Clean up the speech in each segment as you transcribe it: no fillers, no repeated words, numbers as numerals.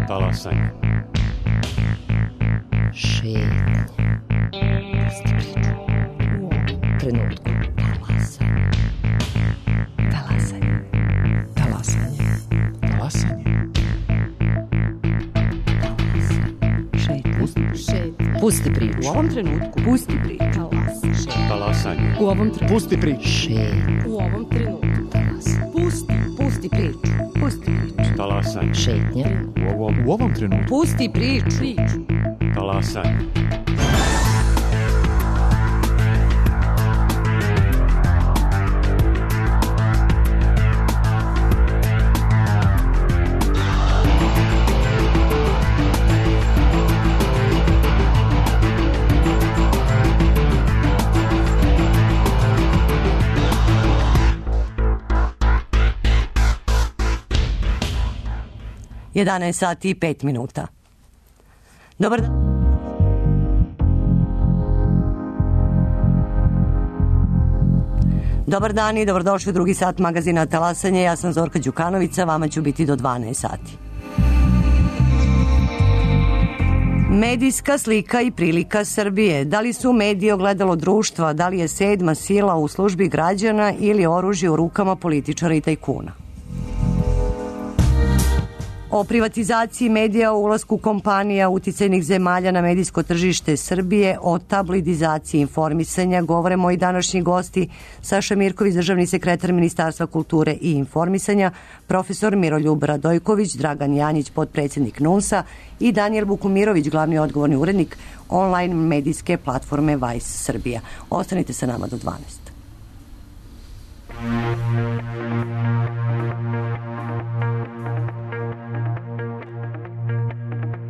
Talasanje. Šetnje. Pusti priču. U ovom trenutku. Talasanje. Talasanje. Talasanje. Pusti priču. U ovom trenutku. Pusti priču. Talasanje. U ovom trenutku. Pusti priču. Šetnje. U ovom trenutku. Pusti priču. Pusti priču. Talasanje. Šetnje. U ovom trenutku. Pusti priču. Talasanje. Jedanaest sati i 5 minuta. Dobar dan. Dobar dan i dobrodošli u drugi sat magazina Talasanje. Ja sam Zorka Đukanovića, vama ću biti do 12 sati. Medijska slika i prilika Srbije. Da li su mediji ogledalo društva, da li je sedma sila u službi građana ili oružje u rukama političara i tajkuna? O privatizaciji medija, o ulasku kompanija uticajnih zemalja na medijsko tržište Srbije, o tabloidizaciji informisanja govore moji današnji gosti Saša Mirković, državni sekretar Ministarstva kulture i informisanja, profesor Miroljub Radojković, Dragan Janjić, potpredsjednik NUNS-a i Danijel Bukumirović, glavni odgovorni urednik online medijske platforme Vice Srbija. Ostanite sa nama do 12.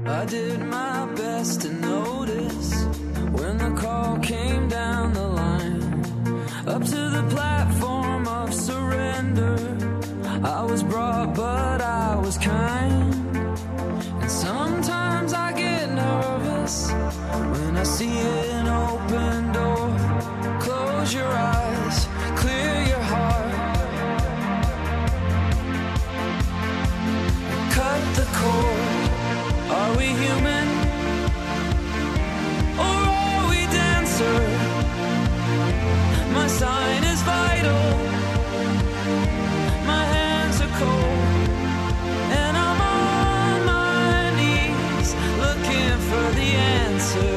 I did my best to notice when the call came down the line up to the platform of surrender. I was brought, but I was kind. And sometimes I get nervous when I see an open door. Close your eyes, clear your heart, cut the cord. Are we human, or are we dancer? My sign is vital, my hands are cold, and I'm on my knees looking for the answer.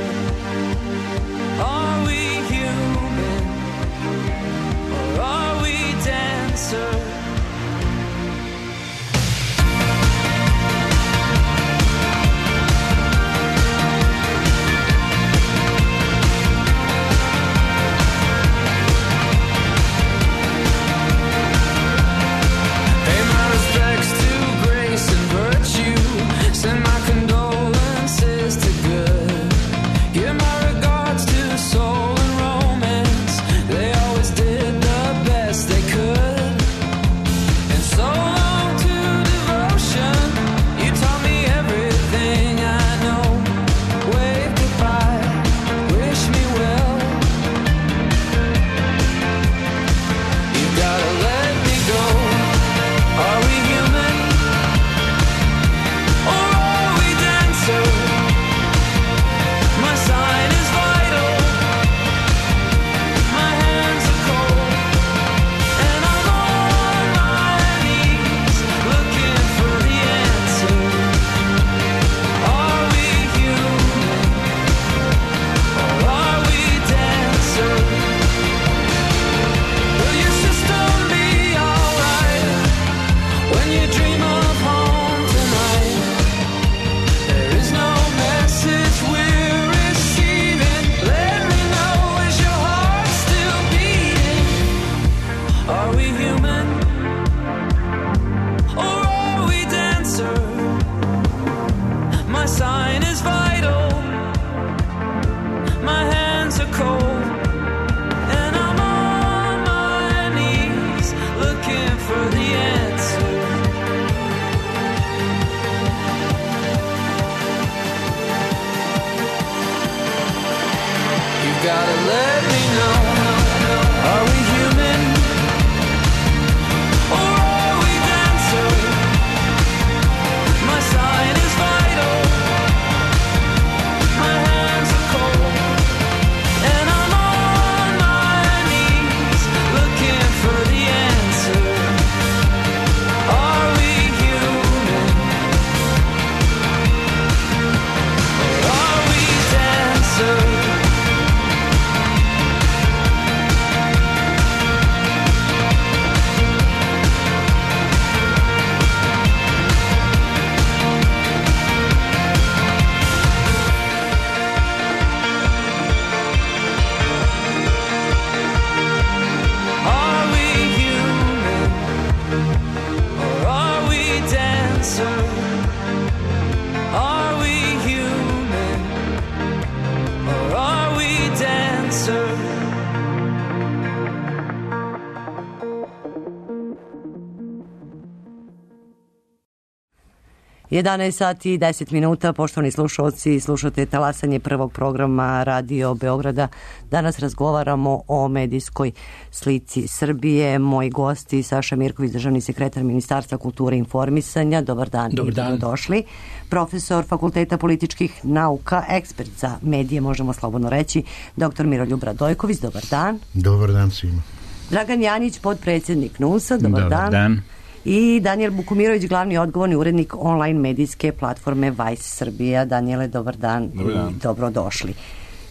11 sati i 10 minuta, poštovani slušalci, slušate talasanje prvog programa Radio Beograda. Danas razgovaramo o medijskoj slici Srbije. Moji gosti, Saša Mirković, državni sekretar Ministarstva kulture i informisanja. Dobar dan. Dobar dan. Došli. Profesor Fakulteta političkih nauka, ekspert za medije, možemo slobodno reći, dr. Miroljub Radojković. Dobar dan. Dobar dan svima. Dragan Janić, podpredsjednik NUNS-a. Dobar dan. I Danijel Bukumirović, glavni odgovorni urednik online medijske platforme Vice Srbija. Danijele, dobar dan. Dobar dan. I dobrodošli.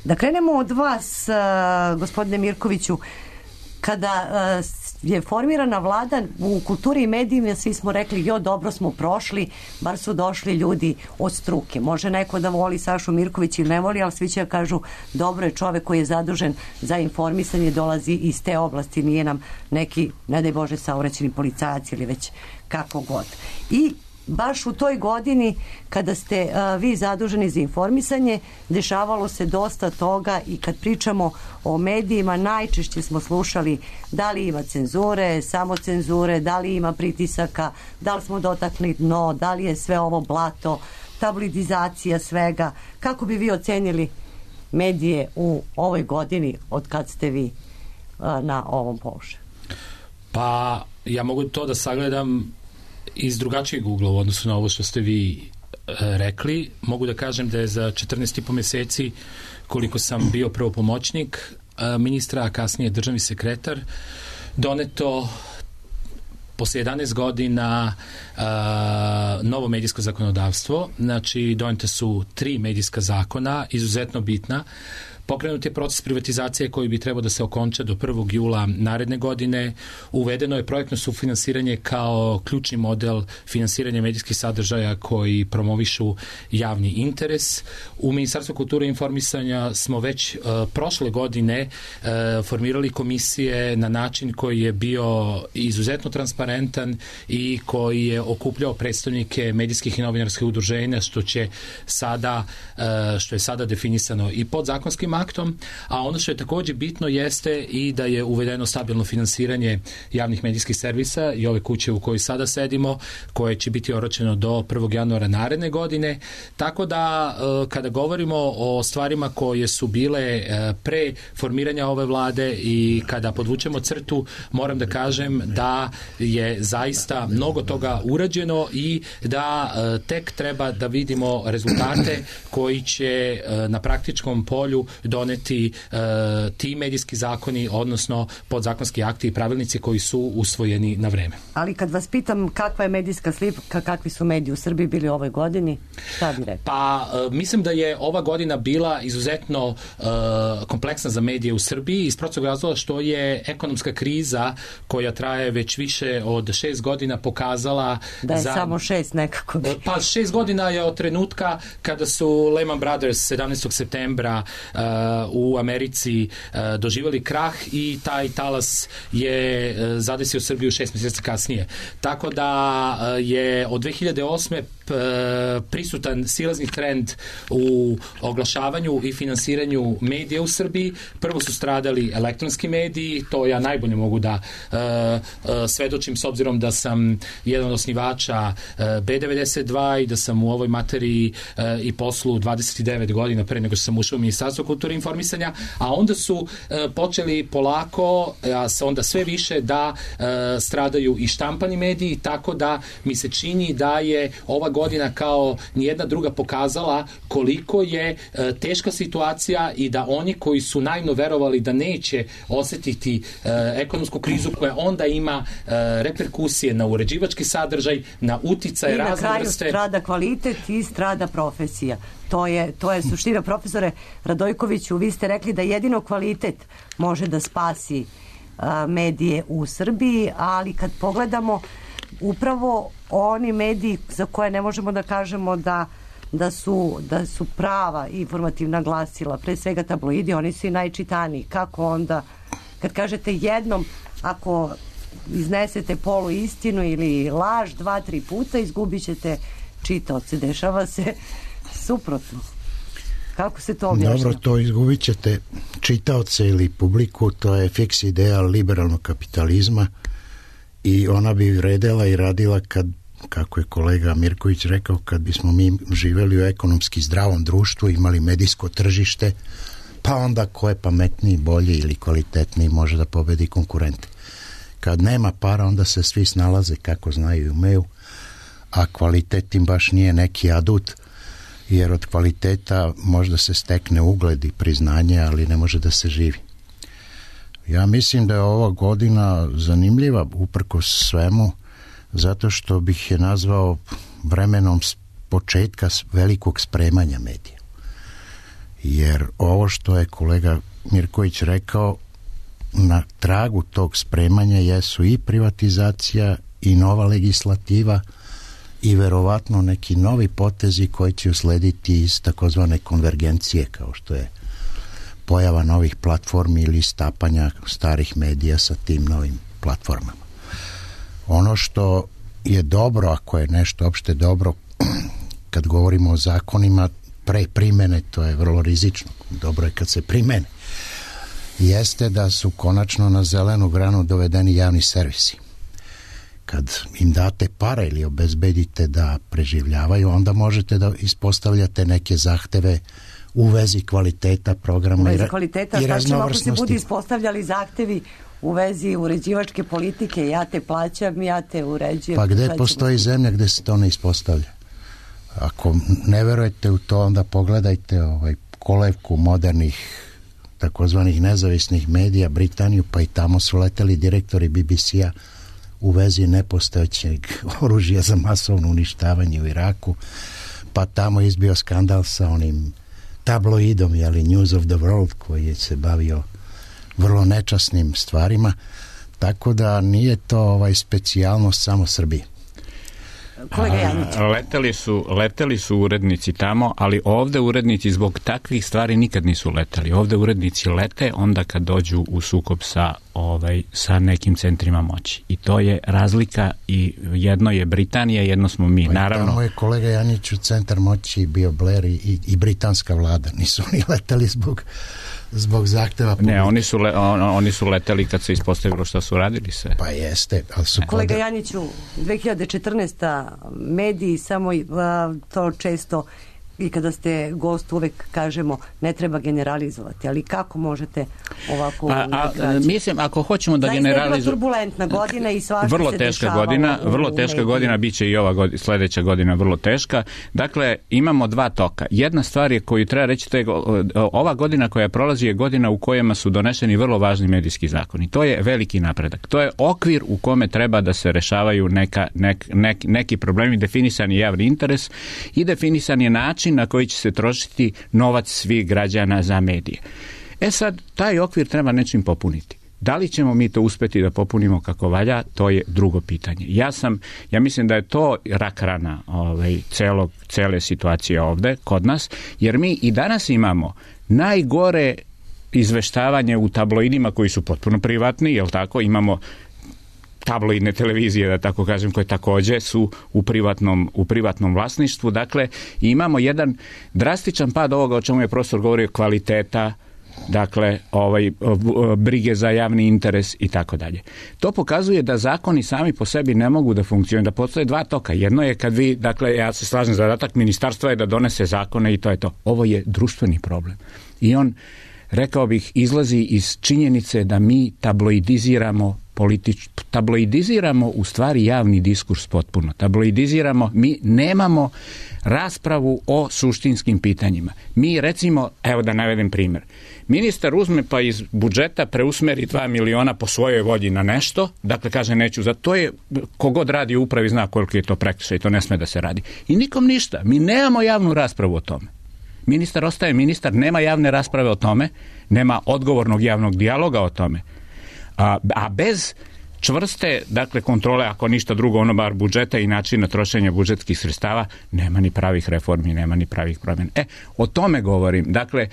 Da krenemo od vas, gospodine Mirkoviću. Kada je formirana vlada u kulturi i medijima, svi smo rekli, dobro smo prošli, bar su došli ljudi od struke. Može neko da voli Sašu Mirković ili ne voli, ali svi će kažu, dobro je čovek koji je zadužen za informisanje, dolazi iz te oblasti, nije nam neki, ne daj Bože, saobraćeni policajac ili već kako god. I baš u toj godini kada ste vi zaduženi za informisanje, dešavalo se dosta toga i kad pričamo o medijima, najčešće smo slušali da li ima cenzure, samocenzure, da li ima pritisaka, da li smo dotakli dno, da li je sve ovo blato, tabloidizacija svega. Kako bi vi ocenili medije u ovoj godini od kad ste vi na ovom položaju? Pa ja mogu to da sagledam iz drugačijeg ugla u odnosu na ovo što ste vi rekli. Mogu da kažem da je za 14,5 mjeseci, koliko sam bio prvo pomoćnik ministra, a kasnije državni sekretar, doneto posle 11 godina novo medijsko zakonodavstvo. Znači, donete su 3 medijska zakona, izuzetno bitna. Pokrenut je proces privatizacije koji bi trebao da se okonča do 1. jula naredne godine. Uvedeno je projektno sufinansiranje kao ključni model finansiranja medijskih sadržaja koji promovišu javni interes. U Ministarstvu kulture i informisanja smo već prošle godine formirali komisije na način koji je bio izuzetno transparentan i koji je okupljao predstavnike medijskih i novinarskih udruženja, što je sada definisano i podzakonskim aktom, a ono što je također bitno jeste i da je uvedeno stabilno finansiranje javnih medijskih servisa i ove kuće u kojoj sada sedimo, koje će biti oročeno do 1. januara naredne godine. Tako da kada govorimo o stvarima koje su bile pre formiranja ove vlade i kada podvučemo crtu, moram da kažem da je zaista mnogo toga urađeno i da tek treba da vidimo rezultate koji će na praktičkom polju doneti ti medijski zakoni, odnosno podzakonski akti i pravilnici koji su usvojeni na vreme. Ali kad vas pitam kakva je medijska slika, kakvi su mediji u Srbiji bili u ovoj godini, šta bi rekao? Pa mislim da je ova godina bila izuzetno kompleksna za medije u Srbiji iz prostog razloga što je ekonomska kriza koja traje već više od 6 godina pokazala da je samo 6 nekako. Pa 6 godina je od trenutka kada su Lehman Brothers 17. septembra u Americi doživjeli krah i taj talas je zadesio Srbiju 6 mjeseci kasnije. Tako da je od 2008. prisutan silazni trend u oglašavanju i finansiranju medija u Srbiji. Prvo su stradali elektronski mediji, to ja najbolje mogu da svedočim s obzirom da sam jedan od osnivača B92 i da sam u ovoj materiji i poslu 29 godina pre nego što sam ušao u Ministarstvo kulture i informisanja, a onda su počeli polako, a onda sve više da stradaju i štampani mediji, tako da mi se čini da je ova godina kao nijedna druga pokazala koliko je teška situacija i da oni koji su naivno verovali da neće osetiti ekonomsku krizu koja onda ima reperkusije na uređivački sadržaj, na uticaje razne vrste. I na kraju strada kvalitet i strada profesija. To je suština. Profesore Radojkoviću, vi ste rekli da jedino kvalitet može da spasi medije u Srbiji, ali kad pogledamo upravo oni mediji za koje ne možemo da kažemo da su prava informativna glasila, pre svega tabloidi, oni su i najčitaniji. Kako onda, kad kažete jednom, ako iznesete polu istinu ili laž 2-3 puta, izgubit ćete čitaoce. Dešava se suprotno. Kako se to objašnjava? Dobro, to izgubit ćete čitaoce ili publiku, to je fiks ideja liberalnog kapitalizma i ona bi vredela i radila kad kako je kolega Mirković rekao, kad bismo mi živjeli u ekonomski zdravom društvu, imali medijsko tržište, pa onda ko je pametniji, bolji ili kvalitetniji može da pobedi konkurente. Kad nema para, onda se svi snalaze kako znaju i umeju, a kvalitet im baš nije neki adut, jer od kvaliteta možda se stekne ugled i priznanje, ali ne može da se živi. Ja mislim da je ova godina zanimljiva uprkos svemu, zato što bih je nazvao vremenom početka velikog spremanja medija. Jer ovo što je kolega Mirković rekao, na tragu tog spremanja jesu i privatizacija i nova legislativa i verovatno neki novi potezi koji će uslediti iz takozvane konvergencije, kao što je pojava novih platformi ili stapanja starih medija sa tim novim platformama. Ono što je dobro, ako je nešto opšte dobro, kad govorimo o zakonima, pre primene, to je vrlo rizično. Dobro je kad se primene. Jeste da su konačno na zelenu granu dovedeni javni servisi. Kad im date pare ili obezbedite da preživljavaju, onda možete da ispostavljate neke zahteve u vezi kvaliteta programa i raznovrsnosti. Šta ćemo ako se budu ispostavljali zahtevi u vezi uređivačke politike? Ja te plaćam, ja te uređujem. Pa gde postoji zemlja gde se to ne ispostavlja? Ako ne verujete u to, onda pogledajte kolevku modernih takozvanih nezavisnih medija, Britaniju, pa i tamo su leteli direktori BBC-a u vezi nepostojećeg oružja za masovno uništavanje u Iraku, pa tamo izbio skandal sa onim tabloidom, News of the World, koji je se bavio vrlo nečasnim stvarima, tako da nije to specijalnost samo Srbije. Leteli su urednici tamo, ali ovde urednici zbog takvih stvari nikad nisu leteli. Ovde urednici lete onda kad dođu u sukob sa nekim centrima moći. I to je razlika, i jedno je Britanija, jedno smo mi. Naravno. Tamo je kolega Janjić u centar moći bio Blair i britanska vlada. Nisu oni leteli zbog zahteva publike. Ne, oni su leteli kad se ispostavilo šta su radili sve. Pa jeste. Ali su kolega Janjiću, 2014. mediji samo to često, i kada ste gost uvek kažemo ne treba generalizovati, ali kako možete ovako mislim, ako hoćemo da generalizujemo, zaista je bila turbulentna godina i svašta vrlo se teška dešavalo godina, vrlo teška godina, bit će i ova sledeća godina vrlo teška. Dakle, imamo dva toka. Jedna stvar je koju treba reći, ova godina koja prolazi je godina u kojima su doneseni vrlo važni medijski zakoni. To je veliki napredak. To je okvir u kome treba da se rešavaju neki problemi, definisan je javni interes i definisan je način na koji će se trošiti novac svih građana za medije. Sad, taj okvir treba nečim popuniti. Da li ćemo mi to uspeti da popunimo kako valja, to je drugo pitanje. Ja mislim da je to rak rana cele situacije ovde kod nas, jer mi i danas imamo najgore izveštavanje u tabloidima koji su potpuno privatni, jel tako? Imamo tabloidne televizije, da tako kažem, koje takođe su u privatnom vlasništvu. Dakle, imamo jedan drastičan pad ovoga o čemu je profesor govorio, kvaliteta, dakle, brige za javni interes i tako dalje. To pokazuje da zakoni sami po sebi ne mogu da funkcionuju, da postoje dva toka. Jedno je kad vi, dakle, ja se slažem, zadatak ministarstva je da donese zakone i to je to. Ovo je društveni problem. I on, rekao bih, izlazi iz činjenice da mi tabloidiziramo u stvari javni diskurs potpuno. Mi nemamo raspravu o suštinskim pitanjima. Mi recimo, evo da navedem primjer, ministar uzme pa iz budžeta preusmeri 2 miliona po svojoj volji na nešto, dakle kaže neću, za to je, kogod radi u upravi zna koliko je to prekršaj, to ne sme da se radi. I nikom ništa, mi nemamo javnu raspravu o tome. Ministar ostaje ministar, nema javne rasprave o tome, nema odgovornog javnog dijaloga o tome. A bez čvrste, dakle, kontrole, ako ništa drugo, bar budžeta i načina trošenja budžetskih sredstava, nema ni pravih reformi, nema ni pravih promjena. O tome govorim. Dakle,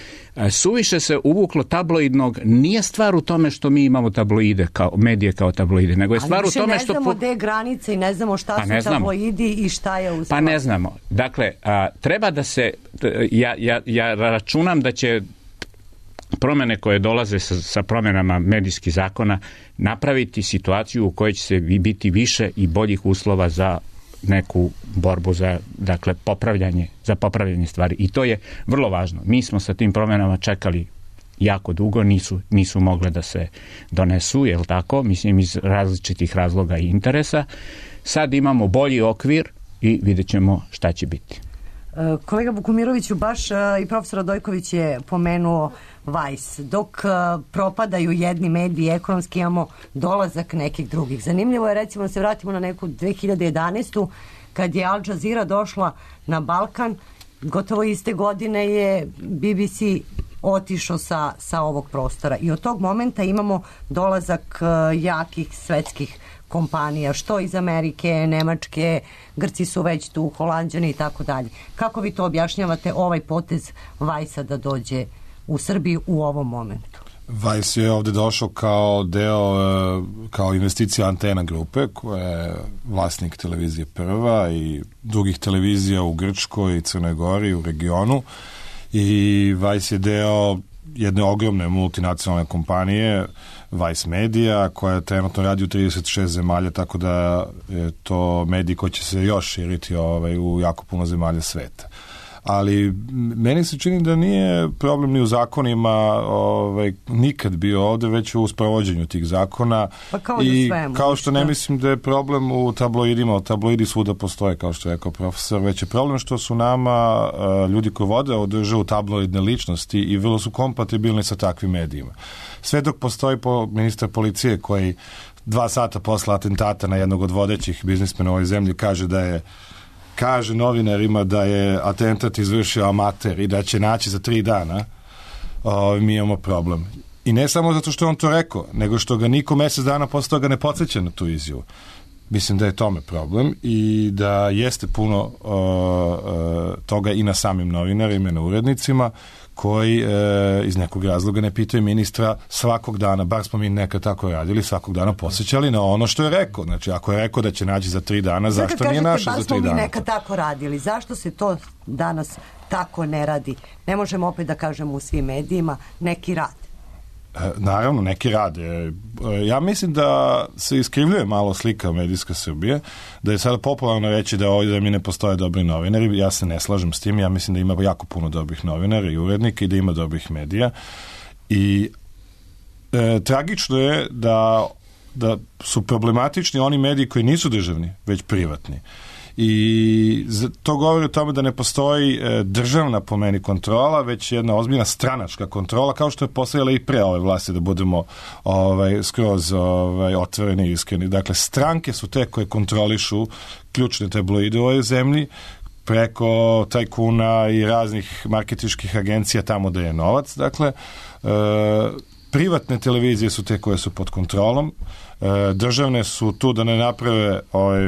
suviše se uvuklo tabloidnog, nije stvar u tome što mi imamo tabloide, medije kao tabloide, nego je stvar u tome što... Ali ne znamo gde je granice i ne znamo šta su tabloidi i šta je u stvari. Pa ne znamo. Dakle, treba da se... Ja računam da će promjene koje dolaze sa promjenama medijskih zakona napraviti situaciju u kojoj će se biti više i boljih uslova za neku borbu za, dakle, popravljanje stvari. I to je vrlo važno. Mi smo sa tim promjenama čekali jako dugo, nisu mogle da se donesu, jel tako? Mislim, iz različitih razloga i interesa. Sad imamo bolji okvir i vidjet ćemo šta će biti. Kolega Vukumiroviću, baš i profesor Radojković je pomenuo Vice. Dok propadaju jedni mediji ekonomski, imamo dolazak nekih drugih. Zanimljivo je, recimo, da se vratimo na neku 2011. kad je Al Jazeera došla na Balkan, gotovo iste godine je BBC otišao sa ovog prostora. I od tog momenta imamo dolazak jakih svetskih kompanija, što iz Amerike, Nemačke, Grci su već tu, Holanđani i tako dalje. Kako vi to objašnjavate, ovaj potez Vajsa da dođe u Srbiji u ovom momentu? Vice je ovdje došao kao deo, kao investicija Antena grupe, koja je vlasnik televizije Prva i drugih televizija u Grčkoj i Crnoj Gori u regionu. I Vice je deo jedne ogromne multinacionalne kompanije, Vice Media, koja trenutno radi u 36 zemalja, tako da je to medij koji će se još širiti u jako puno zemalja sveta. Ali meni se čini da nije problem ni u zakonima nikad bio ovdje, već u sprovođenju tih zakona. Pa kao i svemu, kao što ne mislim da je problem u tabloidima, tabloidi svuda postoje, kao što je rekao profesor, već je problem što su nama ljudi koji vode održaju tabloidne ličnosti i vrlo su kompatibilni sa takvim medijima. Sve dok postoji ministar policije koji 2 sata posle atentata na jednog od vodećih biznismena u ovoj zemlji kaže novinarima da je atentat izvršio amater i da će naći za 3 dana, mi imamo problem. I ne samo zato što je on to rekao, nego što ga niko mjesec dana posle toga ne podsjeća na tu izjavu. Mislim da je tome problem i da jeste puno toga i na samim novinarima i na urednicima koji iz nekog razloga ne pitaju ministra svakog dana, bar smo mi nekad tako radili, svakog dana posjećali na ono što je rekao. Znači, ako je rekao da će naći za 3 dana, zašto nije našao za 3 dana? Bar smo mi nekad tako radili. Zašto se to danas tako ne radi? Ne možemo opet da kažemo u svim medijima neki rad. Naravno, neki rade. Ja mislim da se iskrivljuje malo slika medijska Srbije, da je sada popularno reći da ovdje mi ne postoje dobri novinari. Ja se ne slažem s tim. Ja mislim da ima jako puno dobrih novinara i urednika i da ima dobrih medija. I tragično je da su problematični oni mediji koji nisu državni, već privatni. I to govori o tome da ne postoji državna po meni kontrola, već jedna ozbiljna stranačka kontrola, kao što je postojala i pre ove vlasti, da budemo skroz otvoreni i iskreni. Dakle, stranke su te koje kontrolišu ključne tabloide u ovoj zemlji, preko tajkuna i raznih marketinških agencija tamo da je novac. Dakle, privatne televizije su te koje su pod kontrolom, državne su tu da ne naprave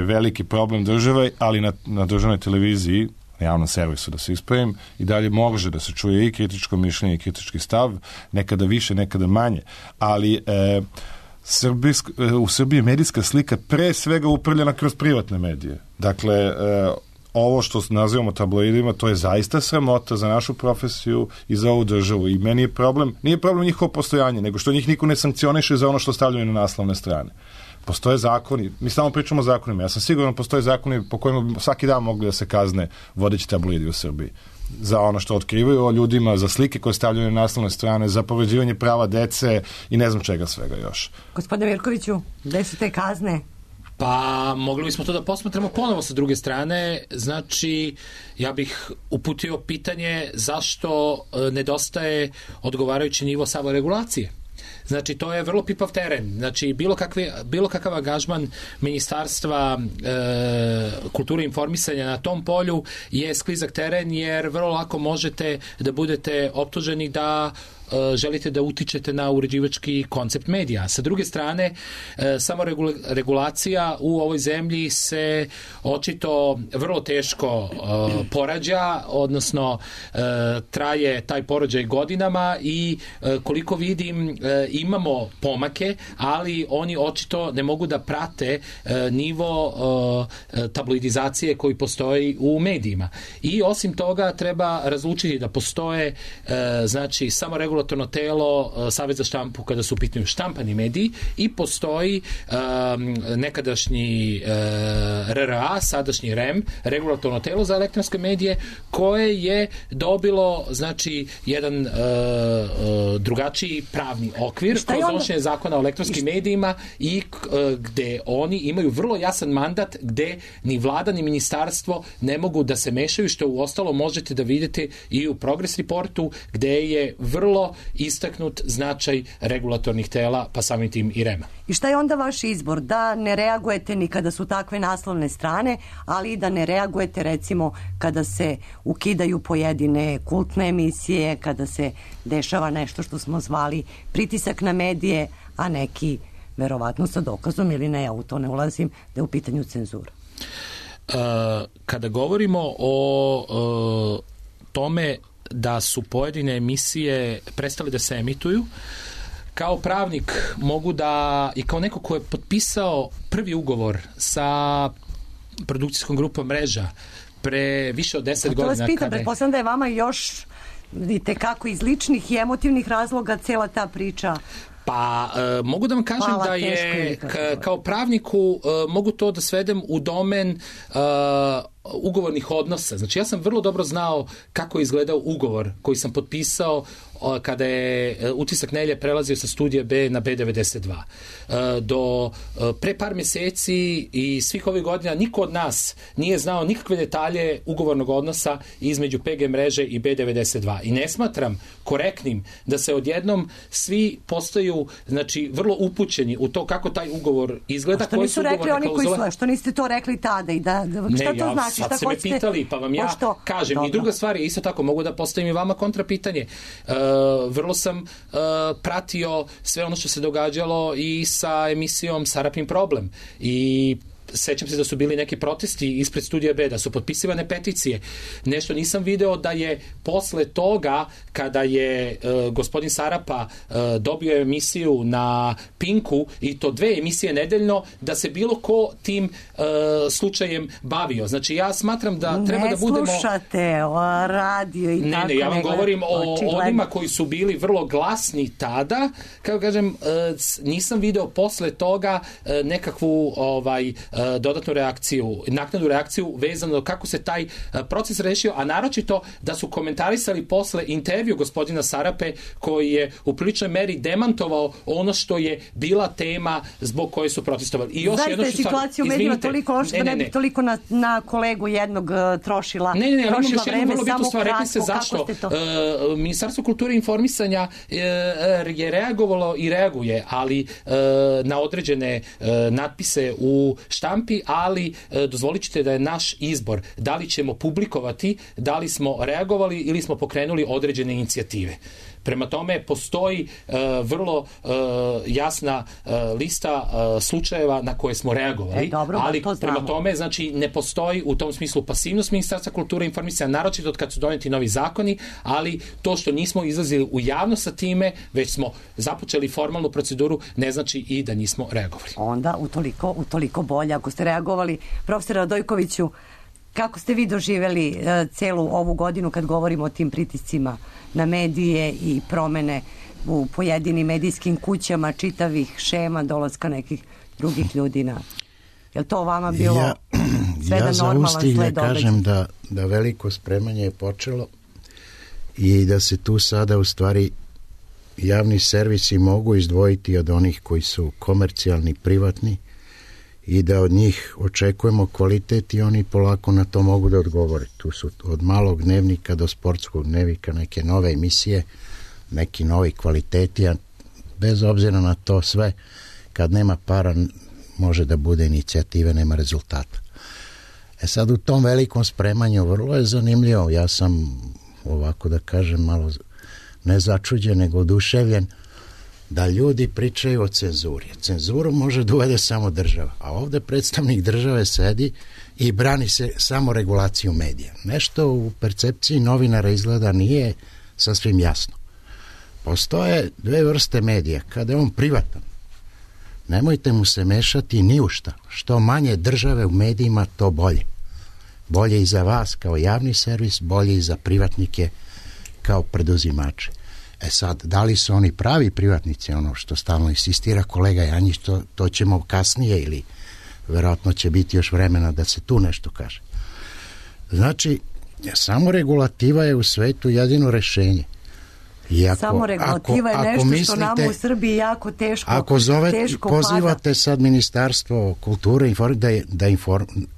veliki problem države, ali na državnoj televiziji, na javnom servisu da se ispravim, i dalje može da se čuje i kritičko mišljenje i kritički stav, nekada više, nekada manje. Ali u Srbiji je medijska slika pre svega uprljena kroz privatne medije. Dakle, ovo što nazivamo tabloidima, to je zaista sramota za našu profesiju i za ovu državu. I meni je problem, nije problem njihovo postojanje, nego što njih niko ne sankcioniše za ono što stavljaju na naslovne strane. Postoje zakoni, mi samo pričamo o zakonima. Ja sam siguran da postoje zakoni po kojima svaki dan mogli da se kazne vodeći tabloidi u Srbiji. Za ono što otkrivaju o ljudima, za slike koje stavljaju na naslovne strane, za povređivanje prava dece i ne znam čega svega još. Gospodine Mirkoviću, gde su te kazne? Pa mogli bismo to da posmatramo ponovo sa druge strane. Znači, ja bih uputio pitanje zašto nedostaje odgovarajući nivo samoregulacije. Znači, to je vrlo pipav teren. Znači, bilo kakav angažman Ministarstva kulture i informisanja na tom polju je sklizak teren, jer vrlo lako možete da budete optuženi da želite da utičete na uređivački koncept medija. Sa druge strane, samo regulacija u ovoj zemlji se očito vrlo teško porađa, odnosno traje taj porođaj godinama i koliko vidim imamo pomake, ali oni očito ne mogu da prate nivo tabloidizacije koji postoji u medijima. I osim toga treba razlučiti da postoje znači samo regulatorne regulatorno telo Savez za štampu kada su u pitanju štampani mediji i postoji nekadašnji RRA, sadašnji REM, regulatorno telo za elektronske medije, koje je dobilo znači jedan drugačiji pravni okvir kroz donošenje zakona o elektronskim medijima i gde oni imaju vrlo jasan mandat gde ni vlada ni ministarstvo ne mogu da se mešaju, što u ostalo možete da vidite i u Progress Reportu gde je vrlo istaknut značaj regulatornih tela, pa samim tim i REM-a. I šta je onda vaš izbor? Da ne reagujete ni kada su takve naslovne strane, ali i da ne reagujete recimo kada se ukidaju pojedine kultne emisije, kada se dešava nešto što smo zvali pritisak na medije, a neki verovatno sa dokazom ili ne, ja u to ne ulazim, da je u pitanju cenzura. Kada govorimo o tome da su pojedine emisije prestale da se emituju, kao pravnik mogu da, i kao neko ko je potpisao prvi ugovor sa produkcijskom grupom Mreža pre više od 10 godina. To vas pitam, pretpostavljam da je vama još vidite kako iz ličnih i emotivnih razloga cela ta priča. Pa mogu da vam kažem da je kao pravniku mogu to da svedem u domen ugovornih odnosa. Znači ja sam vrlo dobro znao kako je izgledao ugovor koji sam potpisao kada je Utisak nedelje prelazio sa Studija B na B92. Do pre par meseci i svih ovih godina niko od nas nije znao nikakve detalje ugovornog odnosa između PG mreže i B92. I ne smatram korektnim da se odjednom svi postaju znači vrlo upućeni u to kako taj ugovor izgleda. Što nisu rekli oni koji su, što niste to rekli tada i da šta to znači? Sad ste me pitali, pa vam ja kažem. Dobro. I druga stvar je isto tako, mogu da postavim i vama kontrapitanje. Vrlo sam pratio sve ono što se događalo i sa emisijom Sarapin problem. I sećam se da su bili neki protesti ispred Studija B, da su potpisivane peticije. Nešto nisam video da je posle toga, kada je gospodin Sarapa dobio emisiju na Pinku, i to 2 emisije nedeljno, da se bilo ko tim slučajem bavio. Znači ja smatram da treba da budemo... Ne slušate o radio i tako. Ne, ja vam govorim o onima koji su bili vrlo glasni tada. Kako kažem, nisam video posle toga nekakvu dodatnu reakciju, naknadnu reakciju vezano kako se taj proces rešio, a naročito da su komentarisali posle intervju gospodina Sarape koji je u priličnoj meri demantovao ono što je bila tema zbog koje su protestovali. I još jedno što situaciju u medijima toliko loša da ne bi toliko na kolegu jednog trošila vreme, samo kratko. Rekli se zašto. Ministarstvo kulture i informisanja je reagovalo i reaguje, ali na određene natpise u štampi, ali dozvolit ćete da je naš izbor da li ćemo publikovati, da li smo reagovali ili smo pokrenuli određene inicijative. Prema tome, postoji vrlo jasna lista slučajeva na koje smo reagovali, ali prema tome, znači, ne postoji u tom smislu pasivnost Ministarstva kulture i informisanja, naročito od kad su doneti novi zakoni, ali to što nismo izlazili u javnost sa time, već smo započeli formalnu proceduru, ne znači i da nismo reagovali. Onda utoliko bolje. Ako ste reagovali, profesore Radojkoviću, kako ste vi doživeli celu ovu godinu kad govorimo o tim pritiscima na medije i promene u pojedinim medijskim kućama, čitavih šema, dolaska nekih drugih ljudi na... Je li to vama bilo sve da normalan sled događaja? Ja za kažem da veliko spremanje je počelo i da se tu sada u stvari javni servisi mogu izdvojiti od onih koji su komercijalni, privatni, i da od njih očekujemo kvalitet i oni polako na to mogu da odgovore. Tu su od malog dnevnika do sportskog dnevnika neke nove emisije, neki novi kvaliteti, a bez obzira na to sve, kad nema para, može da bude inicijative, nema rezultata. Sad u tom velikom spremanju vrlo je zanimljivo. Ja sam, ovako da kažem, malo ne začuđen, nego oduševljen da ljudi pričaju o cenzuri. Cenzuru može da uvede samo država, a ovde predstavnik države sedi i brani se samo regulaciju medija. Nešto u percepciji novinara izgleda nije sasvim jasno. Postoje 2 vrste medija. Kada je on privatan, nemojte mu se mešati ni u šta. Što manje države u medijima, to bolje. Bolje i za vas kao javni servis, bolje i za privatnike kao preduzimače. E sad, da li su oni pravi privatnici, ono što stalno insistira kolega Janjić, to ćemo kasnije ili verovatno će biti još vremena da se tu nešto kaže. Znači, samo regulativa je u svetu jedino rešenje. Samo regulativa je nešto mislite, što nama u Srbiji jako teško pozivate pada. Sad Ministarstvo kulture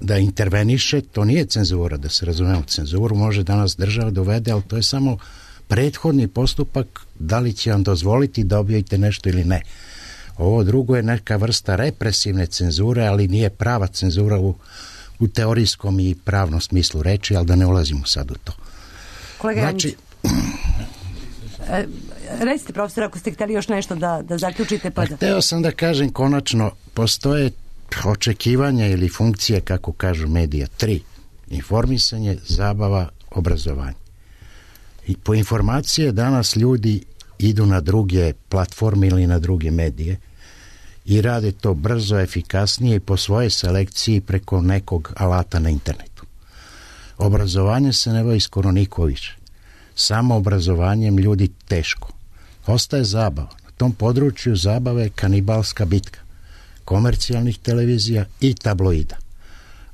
da interveniše, to nije cenzura, da se razumemo. Cenzuru može danas država dovede, ali to je samo prethodni postupak, da li će vam dozvoliti da objavite nešto ili ne. Ovo drugo je neka vrsta represivne cenzure, ali nije prava cenzura u teorijskom i pravnom smislu reči, ali da ne ulazimo sad u to. Kolega Janjić, recite profesor, ako ste hteli još nešto da zaključite. Hteo sam da kažem, konačno postoje očekivanja ili funkcije, kako kažu medija, 3. Informisanje, zabava, obrazovanje. I po informacije danas ljudi idu na druge platforme ili na druge medije i rade to brzo, efikasnije i po svojoj selekciji preko nekog alata na internetu. Obrazovanje se ne bavi skoro niko više. Samo obrazovanjem ljudi teško. Ostaje zabava. Na tom području zabave je kanibalska bitka komercijalnih televizija i tabloida.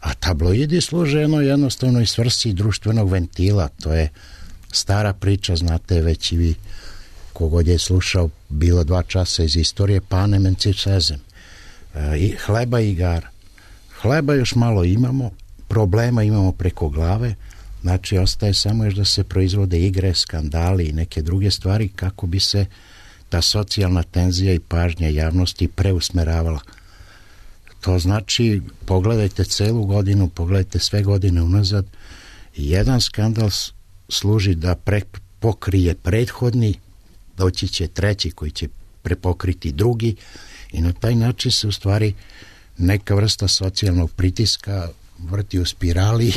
A tabloidi služe jednostavnoj svrsi društvenog ventila. To je stara priča, znate već i vi, kogod je slušao bilo 2 časa iz istorije, panem and circesem. Hleba i igara. Hleba još malo imamo, problema imamo preko glave, znači ostaje samo još da se proizvode igre, skandali i neke druge stvari kako bi se ta socijalna tenzija i pažnja javnosti preusmeravala. To znači, pogledajte celu godinu, pogledajte sve godine unazad, jedan skandal služi da pokrije prethodni, doći će treći koji će prepokriti drugi i na taj način se u stvari neka vrsta socijalnog pritiska vrti u spirali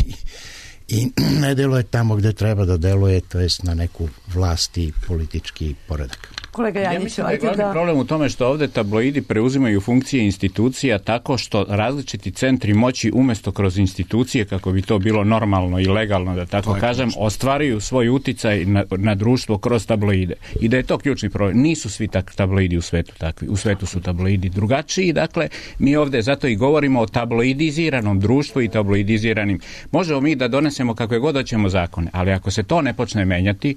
i ne deluje tamo gde treba da deluje, to jest na neku vlast i politički poredak. Kolega Janjić, ja mislim da je glavni problem u tome što ovde tabloidi preuzimaju funkcije institucija tako što različiti centri moći umjesto kroz institucije, kako bi to bilo normalno i legalno, da tako kažem, ostvaruju svoj uticaj na društvo kroz tabloide. I da je to ključni problem. Nisu svi tabloidi u svetu takvi. U svetu su tabloidi drugačiji. Dakle, mi ovde zato i govorimo o tabloidiziranom društvu i tabloidiziranim. Možemo mi da donesemo kakve god hoćemo zakone, ali ako se to ne počne menjati,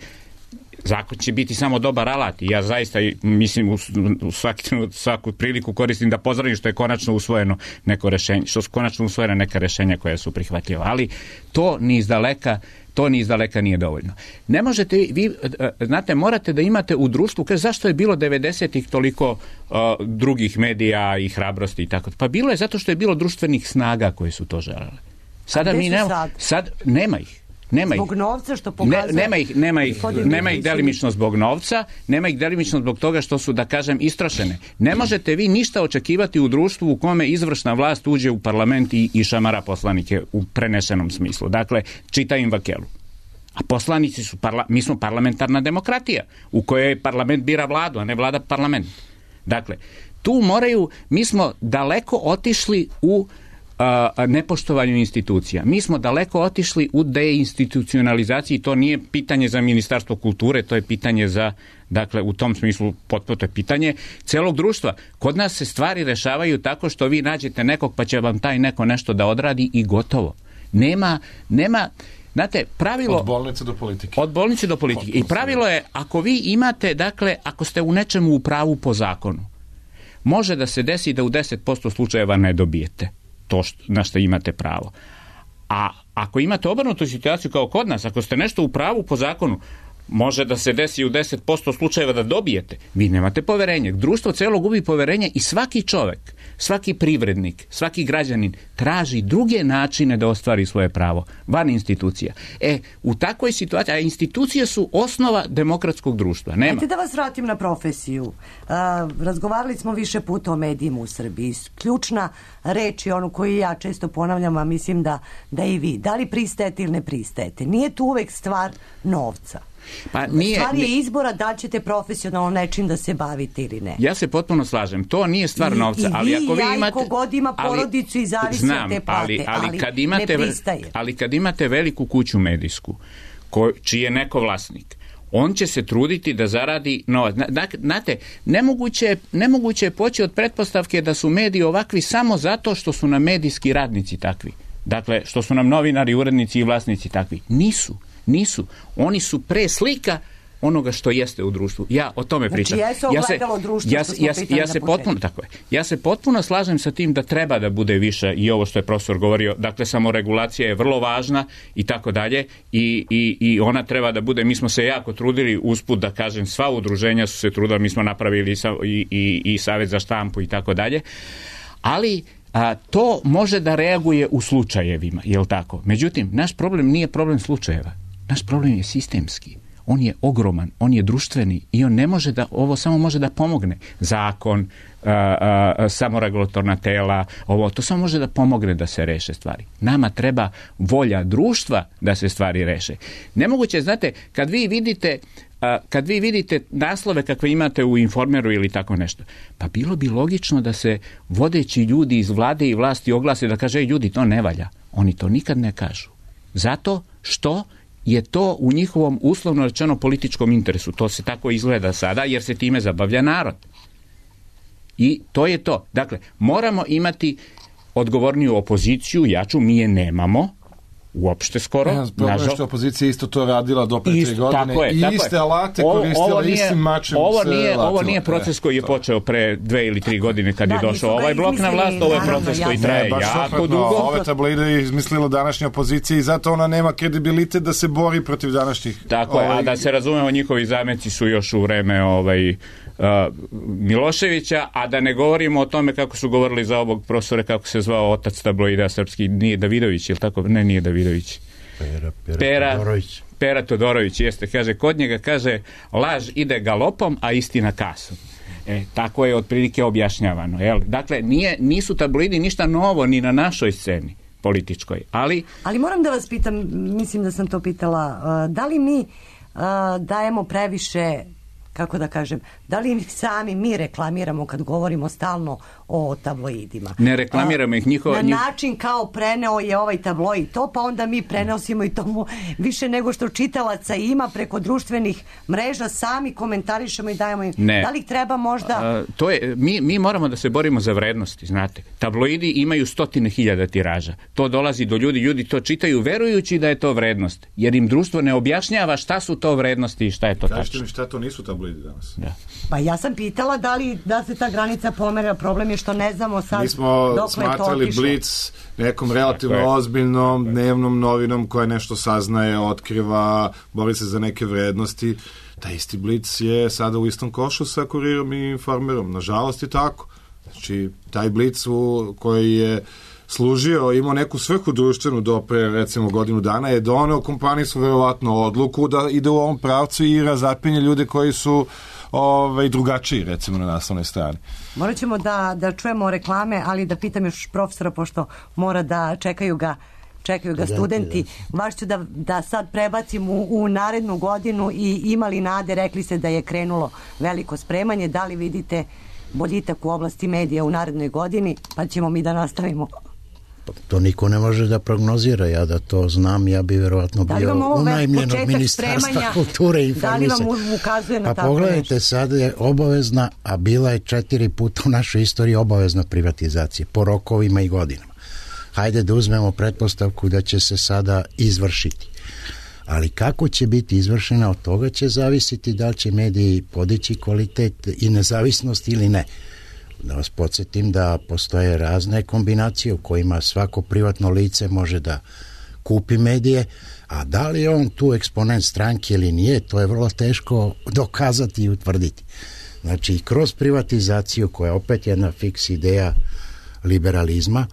zakon će biti samo dobar alat i ja zaista mislim u svaku priliku koristim da pozdravim što je konačno usvojeno neko rešenje, što su konačno usvojena neka rešenja koja su prihvatljiva, ali to ni izdaleka nije dovoljno. Ne možete vi, znate, morate da imate u društvu, kaže zašto je bilo 90-ih toliko drugih medija i hrabrosti i tako. Pa bilo je zato što je bilo društvenih snaga koje su to želele. Sada mi nema ih. Zbog novca što pokazuje... Nema ih delimično zbog novca, nema ih delimično zbog toga što su, da kažem, istrošene. Ne možete vi ništa očekivati u društvu u kome izvršna vlast uđe u parlament i šamara poslanike u prenesenom smislu. Dakle, čita im vakelu. A poslanici su, mi smo parlamentarna demokratija u kojoj parlament bira vladu, a ne vlada parlament. Dakle, tu mi smo daleko otišli u nepoštovanju institucija. Mi smo daleko otišli u deinstitucionalizaciji, to nije pitanje za Ministarstvo kulture, to je pitanje za, dakle, u tom smislu potpuno to je pitanje celog društva. Kod nas se stvari rešavaju tako što vi nađete nekog pa će vam taj neko nešto da odradi i gotovo. Nema, znate, pravilo... Od bolnice do politike. I pravilo je, ako vi imate, dakle, ako ste u nečemu u pravu po zakonu, može da se desi da u 10% slučajeva ne dobijete to na što imate pravo. A ako imate obrnutu situaciju kao kod nas, ako ste nešto u pravu po zakonu, može da se desi u 10% slučajeva da dobijete. Vi nemate poverenje. Društvo celo gubi poverenje i svaki čovek, svaki privrednik, svaki građanin traži druge načine da ostvari svoje pravo van institucija. U takvoj situaciji, a institucije su osnova demokratskog društva. Nema. Ajde da vas vratim na profesiju. Razgovarali smo više puta o medijima u Srbiji. Ključna reč je onu koju ja često ponavljam, a mislim da i vi. Da li pristajete ili ne pristajete? Nije tu uvek stvar novca. Stvar je izbora da ćete profesionalno nečim da se bavite ili ne. Ja se potpuno slažem. To nije stvar novca. Ali ako vi imate, kogod ima porodicu i zavisi od te plate, ali ne pristaje. Ali kad imate veliku kuću medijsku, čiji je neko vlasnik, On će se truditi da zaradi novac. Znate, nemoguće je poći od pretpostavke da su mediji ovakvi samo zato što su nam medijski radnici takvi. Dakle, što su nam novinari, urednici i vlasnici takvi. Nisu. Oni su pre slika onoga što jeste u društvu. Ja o tome pričam. Ja se potpuno slažem sa tim da treba da bude više i ovo što je profesor govorio. Dakle, samoregulacija je vrlo važna i tako dalje i ona treba da bude. Mi smo se jako trudili, usput da kažem, sva udruženja su se trudila, mi smo napravili i Savet za štampu i tako dalje. Ali to može da reaguje u slučajevima, je li tako? Međutim, naš problem nije problem slučajeva. Naš problem je sistemski. On je ogroman, on je društveni i on ne može da, ovo samo može da pomogne. Zakon, samoregulatorna tela, to samo može da pomogne da se reše stvari. Nama treba volja društva da se stvari reše. Nemoguće, znate, kad vi vidite naslove kakve imate u Informeru ili tako nešto, pa bilo bi logično da se vodeći ljudi iz vlade i vlasti oglase da kaže, ljudi, to ne valja. Oni to nikad ne kažu. Zato što je to u njihovom uslovno rečeno političkom interesu. To se tako izgleda sada jer se time zabavlja narod. I to je to. Dakle, moramo imati odgovorniju opoziciju, jaču, mi je nemamo, uopšte skoro. Problem je što opozicija isto to radila do pre 3 godine i iste alate koristila istim mačem. Ovo nije proces koji je počeo pre 2 ili 3 godine kad je došao ovaj blok na vlast, ovo je proces koji traje jako dugo. Ove tabloide je izmislila današnja opozicija i zato ona nema kredibilitet da se bori protiv današnjih. Tako je, a da se razumemo, njihovi zameci su još u vreme Miloševića, a da ne govorimo o tome kako su govorili za ovog profesora, kako se zvao otac tabloida srpski, nije Davidović, ili tako? Ne, nije Davidović. Pera Todorović, jeste, kaže, kod njega kaže, laž ide galopom, a istina kasom. Tako je otprilike objašnjavano. Dakle, nisu tabloidi ništa novo ni na našoj sceni političkoj, ali moram da vas pitam, mislim da sam to pitala, da li mi dajemo previše, kako da kažem, da li sami mi reklamiramo kad govorimo stalno o tabloidima? Ne reklamiramo ih na način kao preneo je ovaj tabloid to, pa onda mi prenosimo i tomu više nego što čitalaca ima preko društvenih mreža, sami komentarišemo i dajemo im. Da li treba možda... Mi moramo da se borimo za vrednosti, znate. Tabloidi imaju 100.000 tiraža. To dolazi do ljudi to čitaju verujući da je to vrednost, jer im društvo ne objašnjava šta su to vrednosti i šta je to tačno. Kažete mi šta to nisu tabloidi danas? Da. Pa ja sam pitala da se ta granica pomera, problem je što ne znamo sad dokle je to otišlo. Mi smo smatrali Blic nekom relativno ozbiljnom dnevnom novinom koja nešto saznaje, otkriva, bori se za neke vrednosti. Taj isti Blic je sada u istom košu sa Kurirom i Informerom. Nažalost je tako. Znači, taj Blic koji je služio, imao neku svrhu društvenu do pre, recimo, godinu dana, je doneo kompaniji su verovatno odluku da ide u ovom pravcu i razapinje ljude koji su drugačiji, recimo, na naslovnoj strani. Morat ćemo da čujemo reklame, ali da pitam još profesora, pošto mora da čekaju ga studenti. Baš ću da sad prebacim u narednu godinu i imali nade, rekli se da je krenulo veliko spremanje, da li vidite boljitak u oblasti medija u narednoj godini, pa ćemo mi da nastavimo. To niko ne može da prognozira, ja da to znam, ja bi verovatno bio unajmljen od Ministarstva kulture i informisanja. Da li vam ukazuje na tako nešto? Pa pogledajte, sad je obavezna, a bila je 4 puta u našoj istoriji obavezna privatizacija, po rokovima i godinama. Hajde da uzmemo pretpostavku da će se sada izvršiti. Ali kako će biti izvršena, od toga će zavisiti da li će mediji podići kvalitet i nezavisnost ili ne. Da vas podsjetim da postoje razne kombinacije u kojima svako privatno lice može da kupi medije, a da li je on tu eksponent stranke ili nije, to je vrlo teško dokazati i utvrditi. Znači, kroz privatizaciju, koja je opet jedna fiks ideja liberalizma,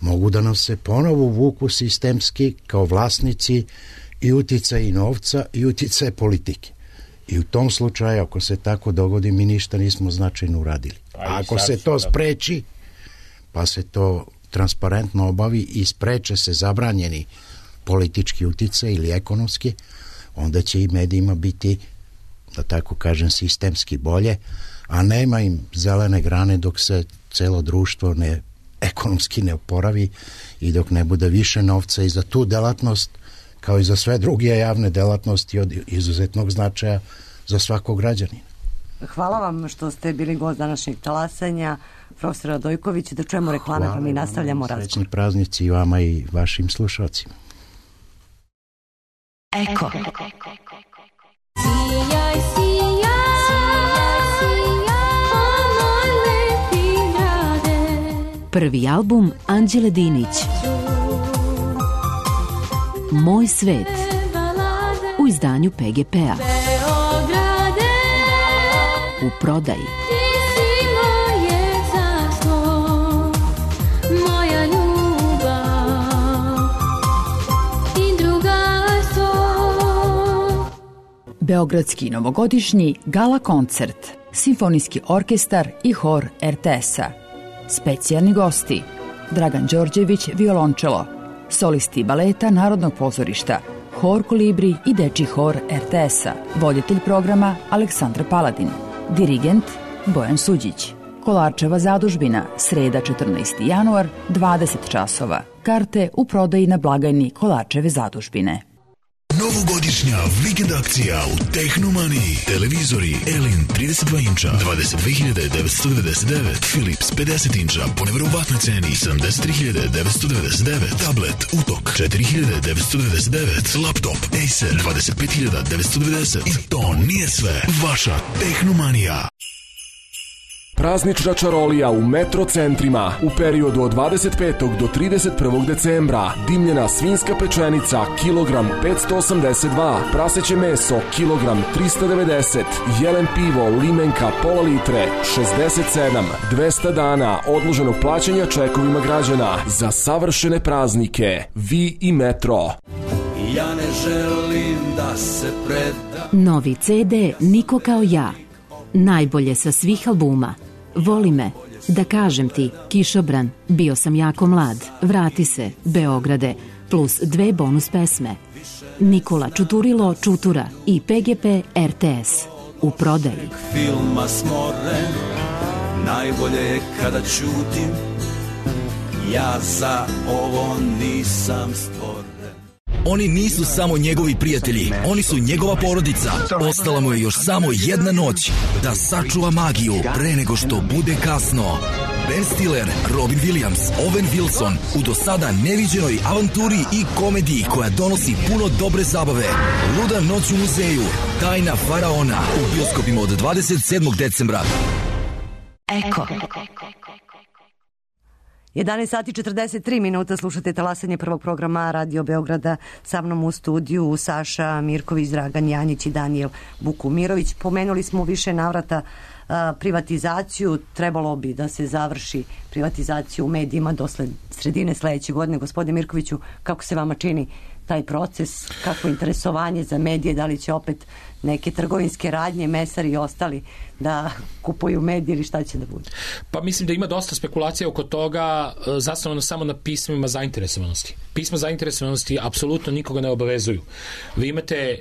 mogu da nam se ponovo vuku sistemski kao vlasnici i uticaj novca i uticaj politike. I u tom slučaju, ako se tako dogodi, mi ništa nismo značajno uradili. A ako se to spreči, pa se to transparentno obavi i spreče se zabranjeni politički uticaj ili ekonomski, onda će i medijima biti, da tako kažem, sistemski bolje, a nema im zelene grane dok se celo društvo ekonomski ne oporavi i dok ne bude više novca i za tu delatnost kao i za sve druge javne delatnosti od izuzetnog značaja za svakog građanina. Hvala vam što ste bili gost današnjeg talasanja, profesor Radojković. Da čujemo reklame, pa mi nastavljamo razgovor. Srećni praznici i vama i vašim slušalcima. Eko. Sijaj, moj lepi grade. Prvi album Anđele Dinić. Moj svet. U izdanju PGP-a. U prodaji. Beogradski novogodišnji gala koncert, simfonijski orkestar i hor RTS-a. Specijalni gosti: Dragan Đorđević, violončelo, solisti baleta Narodnog pozorišta, hor Kolibri i dečji hor RTS-a, voditelj programa Aleksandar Paladin, dirigent Bojan Suđić. Kolarčeva zadužbina, sreda 14. januar, 20 časova. Karte u prodaji na blagajni Kolarčeve zadužbine. Novogodišnja vikend akcija u Tehnomaniji. Televizori Elin 32 inča 22.999, Philips 50 inča po nevjerovatnoj ceni 73.999, tablet Utok 4.999, laptop Acer 25.990. I to nije sve. Vaša Tehnomanija. Praznična čarolija u metro centrima u periodu od 25. do 31. decembra. Dimljena svinjska pečenica kilogram 582, praseće meso kilogram 390, jelen pivo limenka pola litre 67, 200 dana odloženog plaćanja čekovima građana za savršene praznike. Vi i metro. Ja ne želim da se predam. Novi CD Niko kao ja. Najbolje sa svih albuma. Voli me, Da kažem ti, Kišobran, Bio sam jako mlad, Vrati se, Beograde, plus 2 bonus pesme. Nikola Čuturilo Čutura i PGP RTS. U prodaji. Filma smoren, najbolje je kada ćutim. Ja za ovo nisam stvoren. Oni nisu samo njegovi prijatelji, oni su njegova porodica. Ostala mu je još samo jedna noć da sačuva magiju pre nego što bude kasno. Ben Stiller, Robin Williams, Owen Wilson u do sada neviđenoj avanturi i komediji koja donosi puno dobre zabave. Luda noć u muzeju, Tajna faraona u bioskopima od 27. decembra. Eko. 11 sati 43 minuta, slušate talasanje prvog programa Radio Beograda. Sa mnom u studiju Saša Mirković, Dragan Janjić i Danijel Bukumirović. Pomenuli smo više navrata privatizaciju. Trebalo bi da se završi privatizaciju u medijima do sredine sledeće godine. Gospodine Mirkoviću, kako se vama čini taj proces, kako interesovanje za medije, da li će opet neke trgovinske radnje, mesari i ostali da kupuju medije ili šta će da bude? Pa mislim da ima dosta spekulacija oko toga, zasnovano samo na pismima zainteresovanosti. Pisma zainteresovanosti apsolutno nikoga ne obavezuju. Vi imate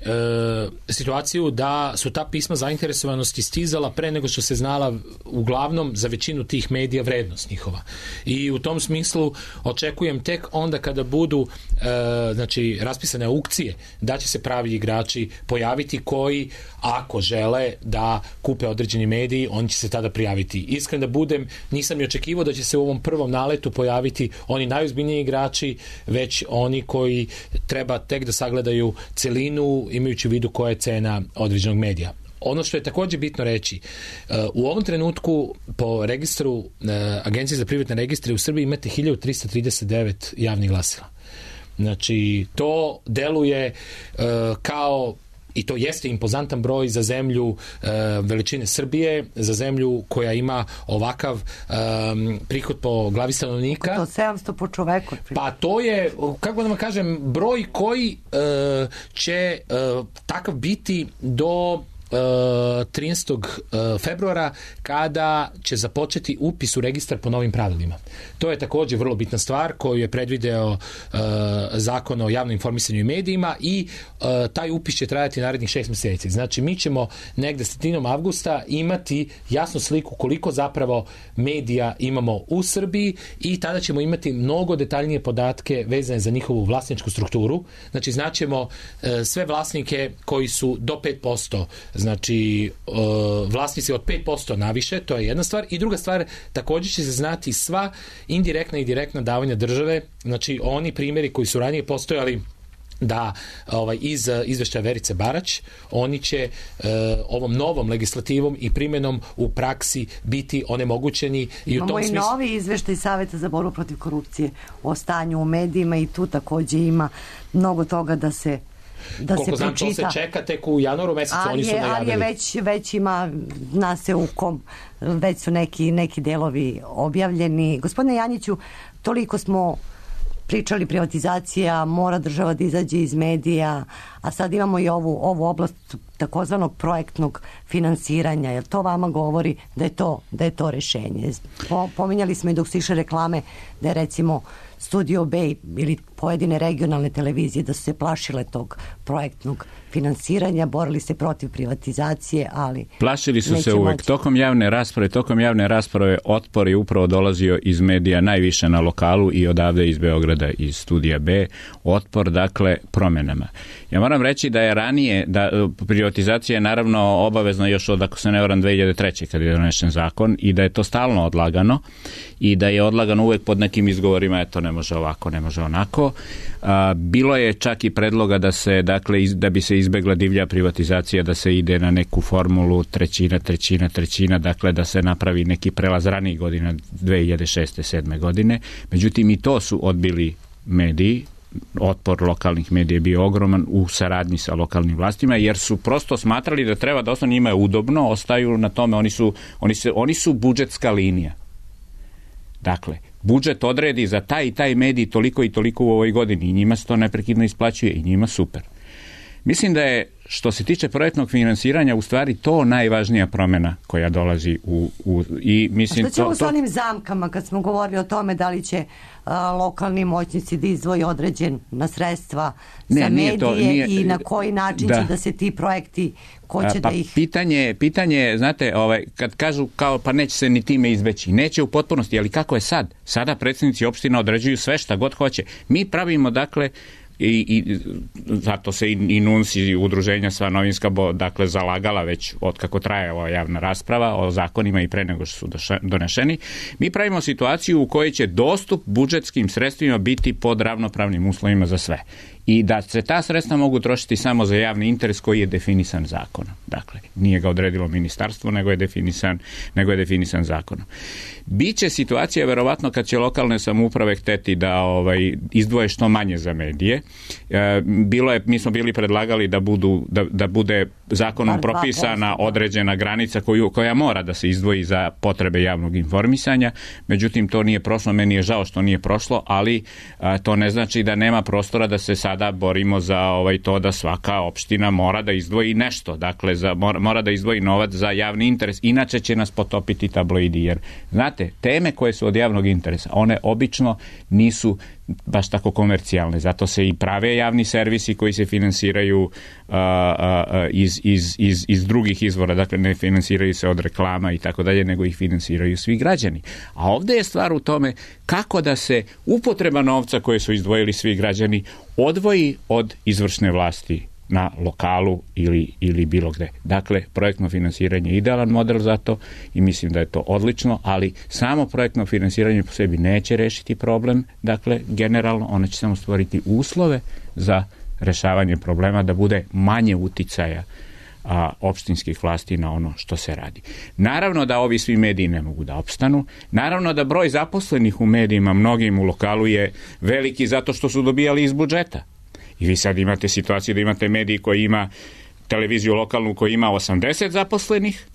situaciju da su ta pisma zainteresovanosti stizala pre nego što se znala uglavnom za većinu tih medija vrednost njihova. I u tom smislu očekujem tek onda kada budu znači raspisane aukcije da će se pravi igrači pojaviti koji, ako žele da kupe određeni mediji, oni će se tada prijaviti. Iskren da budem, nisam ni očekivao da će se u ovom prvom naletu pojaviti oni najozbiljniji igrači, već oni koji treba tek da sagledaju celinu imajući u vidu koja je cena određenog medija. Ono što je također bitno reći, u ovom trenutku po registru Agencije za privredne registre u Srbiji imate 1339 javnih glasila. Znači, to deluje kao, i to jeste impozantan broj za zemlju veličine Srbije, za zemlju koja ima ovakav prihod po glavi stanovnika. To 700 po čoveku. Pa to je, kako da vam kažem, broj koji će takav biti do 13. februara kada će započeti upis u registar po novim pravilima. To je također vrlo bitna stvar koju je predvideo Zakon o javnom informisanju i medijima i taj upis će trajati narednih 6 mjeseci. Znači mi ćemo negde sredinom avgusta imati jasnu sliku koliko zapravo medija imamo u Srbiji i tada ćemo imati mnogo detaljnije podatke vezane za njihovu vlasničku strukturu. Znači znaćemo sve vlasnike koji su do 5%, znači vlasnici od 5% naviše, to je jedna stvar. I druga stvar, također će se znati sva indirektna i direktna davanja države, znači oni primjeri koji su ranije postojali da iz izveštaja Verice Barać, oni će ovom novom legislativom i primjenom u praksi biti onemogućeni. Imamo i novi izveštaj Saveta za borbu protiv korupcije o stanju u medijima i tu također ima mnogo toga da se koliko znam, to se čeka tek u januaru mesecu, oni su najavili. Ali je već ima, zna se u kom, već su neki delovi objavljeni. Gospodine Janjiću, toliko smo pričali privatizacija, mora država da izađe iz medija, a sad imamo i ovu oblast takozvanog projektnog finansiranja. Jel to vama govori da je to rešenje? Pominjali smo i dok su išle reklame da je recimo Studio B ili pojedine regionalne televizije da su se plašile tog projektnog finansiranja, borili se protiv privatizacije, ali plašili su se uvek. Tokom javne rasprave otpor je upravo dolazio iz medija najviše na lokalu i odavde iz Beograda, iz Studija B. Otpor, dakle, promjenama. Ja moram reći da je ranije, da privatizacija je naravno obavezna još od, ako se ne varam, 2003. kad je donesen zakon i da je to stalno odlagano i da je odlagano uvek pod nekim izgovorima, eto, ne može ovako, ne može onako. Bilo je čak i predloga da se, dakle, da bi se izbegla divlja privatizacija, da se ide na neku formulu trećina, dakle da se napravi neki prelaz ranijih godina, 2006. 2007. godine. Međutim, i to su odbili mediji. Otpor lokalnih medija je bio ogroman u saradnji sa lokalnim vlastima, jer su prosto smatrali da treba da ostane, njima je udobno, ostaju na tome, oni su budžetska linija. Dakle, budžet odredi za taj i taj medij toliko i toliko u ovoj godini i njima se to neprekidno isplaćuje i njima super. Mislim da je, što se tiče projektnog finansiranja, u stvari to najvažnija promjena koja dolazi i mislim... A što ćemo s onim zamkama kad smo govorili o tome da li će lokalni moćnici da izdvoji određena sredstva za medije i na koji način će da se ti projekti, ko će da ih... Pitanje, znate, kad kažu kao pa neće se ni time izbeći, neće u potpunosti, ali kako je sad? Sada predsjednici opština određuju sve šta god hoće. Mi pravimo, dakle, i zato se i NUNS i udruženja sva novinska dakle zalagala već od kako traje ova javna rasprava o zakonima i pre nego što su donešeni. Mi pravimo situaciju u kojoj će dostup budžetskim sredstvima biti pod ravnopravnim uslovima za sve. I da se ta sredstva mogu trošiti samo za javni interes koji je definisan zakonom. Dakle, nije ga odredilo ministarstvo, nego je definisan zakonom. Biće situacija, verovatno, kad će lokalne samouprave hteti da izdvoje što manje za medije. Mi smo bili predlagali da bude zakonom propisana određena granica koja mora da se izdvoji za potrebe javnog informisanja. Međutim, to nije prošlo. Meni je žao što nije prošlo, ali to ne znači da nema prostora da se sada borimo za to da svaka opština mora da izdvoji nešto. Dakle, mora da izdvoji novac za javni interes. Inače će nas potopiti tabloidi. Jer, znate, teme koje su od javnog interesa, one obično nisu baš tako komercijalne. Zato se i prave javni servisi koji se finansiraju iz drugih izvora. Dakle, ne finansiraju se od reklama i tako dalje, nego ih finansiraju svi građani. A ovdje je stvar u tome kako da se upotreba novca koje su izdvojili svi građani odvoji od izvršne vlasti na lokalu ili bilo gde. Dakle, projektno finansiranje je idealan model za to i mislim da je to odlično, ali samo projektno finansiranje po sebi neće rešiti problem. Dakle, generalno ono će samo stvoriti uslove za rešavanje problema, da bude manje uticaja opštinskih vlasti na ono što se radi. Naravno da ovi svi mediji ne mogu da opstanu. Naravno da broj zaposlenih u medijima, mnogim u lokalu, je veliki zato što su dobijali iz budžeta. I vi sad imate situaciju da imate mediji koji ima televiziju lokalnu koja ima 80 zaposlenih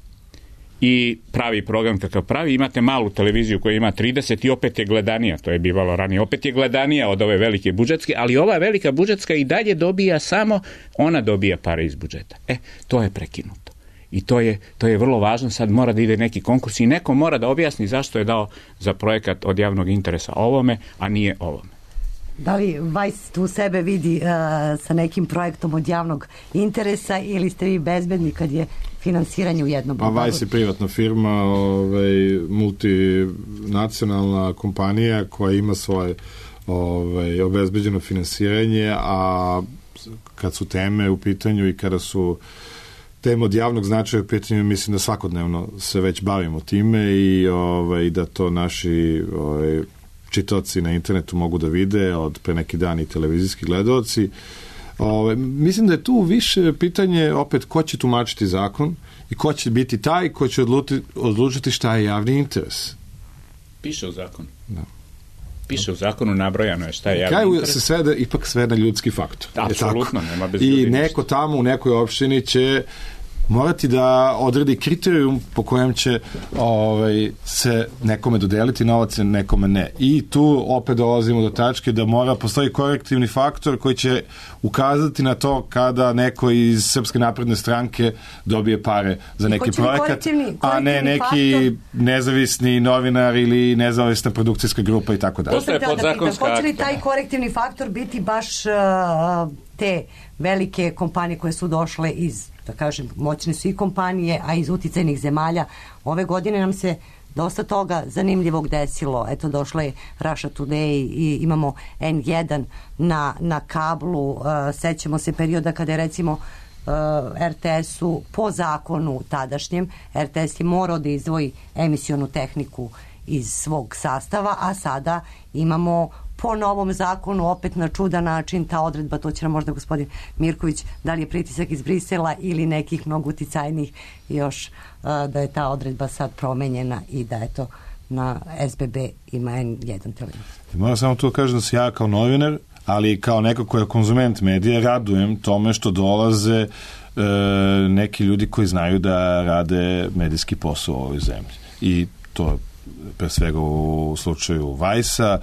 i pravi program kakav pravi. Imate malu televiziju koja ima 30 i opet je gledanija, to je bivalo ranije, opet je gledanija od ove velike budžetske, ali ova velika budžetska i dalje dobija samo, ona dobija pare iz budžeta. To je prekinuto. I to je vrlo važno, sad mora da ide neki konkurs i neko mora da objasni zašto je dao za projekat od javnog interesa ovome, a nije ovome. Da li Vice tu sebe vidi sa nekim projektom od javnog interesa ili ste vi bezbedni kad je finansiranje u jednom? Pa Vice je privatna firma, multinacionalna kompanija koja ima svoje obezbeđeno finansiranje, a kad su teme u pitanju i kada su teme od javnog značaja u pitanju, mislim da svakodnevno se već bavimo time i da to naši čitaoci na internetu mogu da vide od pre neki dan i televizijski gledaoci. Mislim da je tu više pitanje opet ko će tumačiti zakon i ko će biti taj ko će odlučiti šta je javni interes. Piše u zakonu. Da. Piše u zakonu, nabrojano je šta je javni kraju interes. Se svede ipak sve na ljudski faktor. Apsolutno, nema bez ljudi. I neko tamo u nekoj opštini će morati da odredi kriterijum po kojem će se nekome dodeliti novac, nekome ne. I tu opet dolazimo do tačke da mora postoji korektivni faktor koji će ukazati na to kada neko iz Srpske napredne stranke dobije pare za neki projekat, a ne neki nezavisni novinar ili nezavisna produkcijska grupa i tako dalje. Postoje podzakonska akta. Hoće li taj korektivni faktor biti baš te velike kompanije koje su došle iz, da kažem, moćne su i kompanije, a iz uticajnih zemalja? Ove godine nam se dosta toga zanimljivog desilo. Eto, došla je Russia Today i imamo N1 na kablu. Sećamo se perioda kada je recimo RTS-u po zakonu tadašnjem, RTS je morao da izdvoji emisionu tehniku iz svog sastava, a sada imamo po novom zakonu opet na čudan način ta odredba, to će nam možda gospodin Mirković, da li je pritisak iz Brisela ili nekih mnogo uticajnih još, da je ta odredba sad promenjena i da je to na SBB ima N1 televiziju. Moram samo tu kažem da se ja kao novinar, ali kao neko ko je konzument medija, radujem tome što dolaze neki ljudi koji znaju da rade medijski posao u ovoj zemlji. I to pre svega u slučaju Vice-a,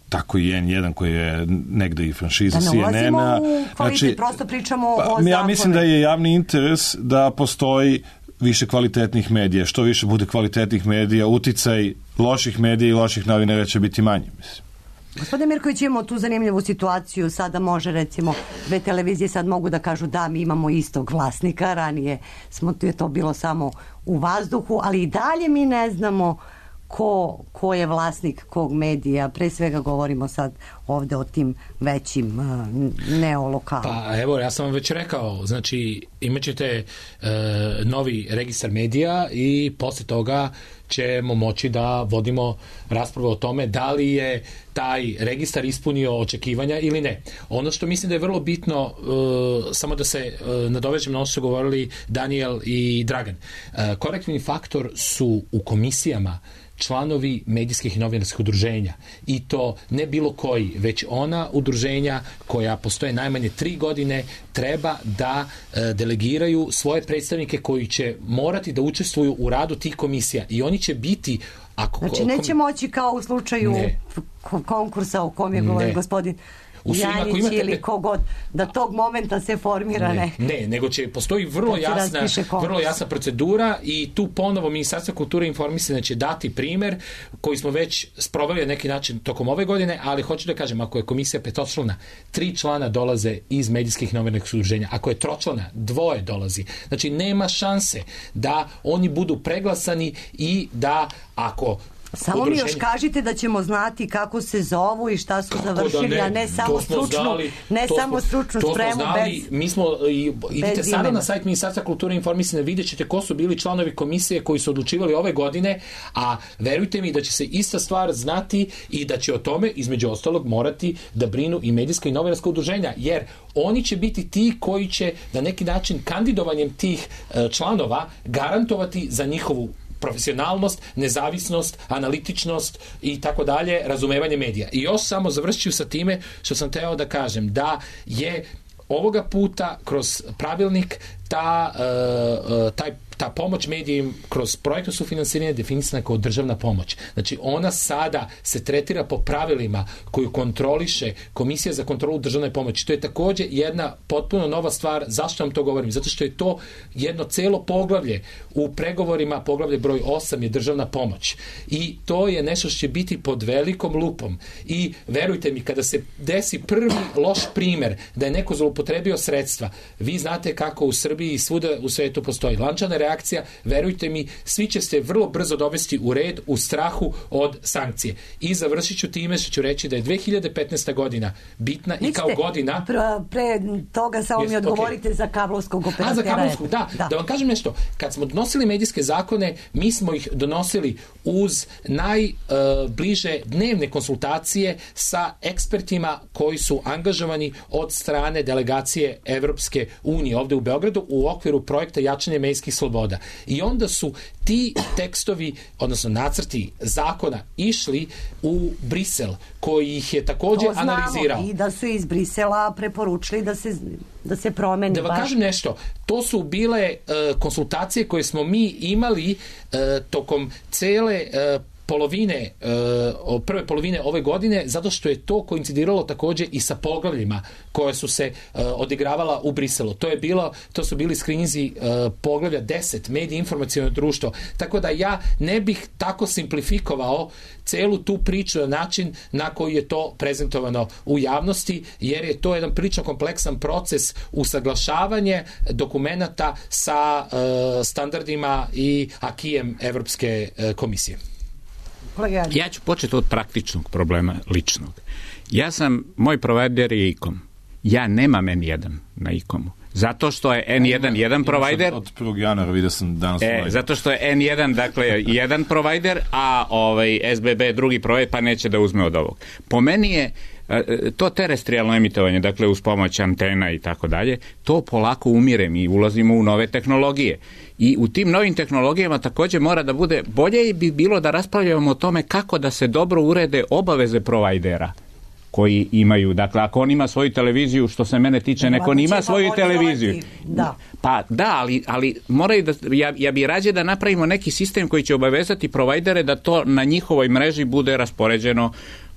tako i N1 koji je negde i franšiza CNN-a. Da ne ulazimo u kvalitet, prosto pričamo o zakonu. Ja mislim da je javni interes da postoji više kvalitetnih medija. Što više bude kvalitetnih medija, uticaj loših medija i loših novinara će biti manji, mislim. Gospodine Mirković, imamo tu zanimljivu situaciju, sada može recimo dve televizije sad mogu da kažu da mi imamo istog vlasnika, ranije je to bilo samo u vazduhu, ali i dalje mi ne znamo ko je vlasnik kog medija, pre svega govorimo sad ovde o tim većim neolokalima. Pa evo, ja sam vam već rekao, znači imat ćete novi registar medija i posle toga ćemo moći da vodimo raspravu o tome da li je taj registar ispunio očekivanja ili ne. Ono što mislim da je vrlo bitno, samo da se nadovežem na ono što su govorili Daniel i Dragan, korektivni faktor su u komisijama članovi medijskih i novinarskih udruženja i to ne bilo koji, već ona udruženja koja postoje najmanje 3 godine treba da delegiraju svoje predstavnike koji će morati da učestvuju u radu tih komisija i oni će biti znači neće moći kao u slučaju konkursa o kom je govorio gospodin Janjić ili kogod, da tog momenta se formira ne, nego će postoji vrlo jasna procedura i tu ponovo Ministarstvo kulture i informisanja će dati primer koji smo već sproveli na neki način tokom ove godine, ali hoću da kažem, ako je komisija petočlana, 3 člana dolaze iz medijskih novinarskih udruženja, ako je tročlana, 2 dolazi. Znači nema šanse da oni budu preglasani i da ako samo mi još kažite da ćemo znati kako se zovu i šta su završili, a ne samo stručnu spremu bez... Mi smo, idite sada na sajt Ministarstva kulture i informisanja, vidjet ćete ko su bili članovi komisije koji su odlučivali ove godine, a verujte mi da će se ista stvar znati i da će o tome, između ostalog, morati da brinu i medijska i novinarska udruženja, jer oni će biti ti koji će na neki način kandidovanjem tih članova garantovati za njihovu profesionalnost, nezavisnost, analitičnost i tako dalje, razumevanje medija. I još samo završću sa time što sam teo da kažem, da je ovoga puta kroz pravilnik ta pomoć medijima kroz projektno sufinansiranje definisana kao državna pomoć. Znači, ona sada se tretira po pravilima koju kontroliše Komisija za kontrolu državne pomoći. To je također jedna potpuno nova stvar. Zašto vam to govorim? Zato što je to jedno celo poglavlje u pregovorima, poglavlje broj 8 je državna pomoć. I to je nešto što će biti pod velikom lupom. I verujte mi, kada se desi prvi loš primer da je neko zloupotrebio sredstva, vi znate kako u Srbiji i svuda u svetu postoji lančana reakcija, verujte mi, svi će se vrlo brzo dovesti u red u strahu od sankcije. I završit ću time što ću reći da je 2015. godina bitna i kao godina... Pre toga samo mi odgovorite za kablovskog operatera. Za kablovskog, da. Da vam kažem nešto. Kad smo donosili medijske zakone, mi smo ih donosili uz najbliže dnevne konsultacije sa ekspertima koji su angažovani od strane delegacije Evropske unije ovde u Beogradu u okviru projekta jačanje medijskih sloboda. I onda su ti tekstovi, odnosno nacrti zakona išli u Brisel, koji ih je također analizirao. I da su iz Brisela preporučili da se promeni. Da vam kažem nešto, to su bile konsultacije koje smo mi imali tokom cele prve polovine ove godine, zato što je to koincidiralo također i sa poglavljima koje su se odigravala u Briselu. To su bili skrininzi poglavlja 10, medije, informaciono društvo. Tako da ja ne bih tako simplifikovao celu tu priču na način na koji je to prezentovano u javnosti, jer je to jedan prilično kompleksan proces usaglašavanje dokumenata sa standardima i akijem Evropske komisije. Ja ću početi od praktičnog problema ličnog. Moj provider je ICOM. Ja nemam N1 na ICOM-u. Zato što je N1 jedan provider. Od 1. januara vidio sam danas. Zato što je N1, dakle, jedan provider, a SBB drugi provider, pa neće da uzme od ovog. Po meni je to terestrijalno emitovanje, dakle uz pomoć antena i tako dalje, to polako umire, mi ulazimo u nove tehnologije. I u tim novim tehnologijama također mora da bude, bolje bi bilo da raspravljamo o tome kako da se dobro urede obaveze provajdera koji imaju, dakle ako on ima svoju televiziju, što se mene tiče, neko ima svoju televiziju. Da. Pa da, ali moraju da, ja bi rađe da napravimo neki sistem koji će obavezati provajdere da to na njihovoj mreži bude raspoređeno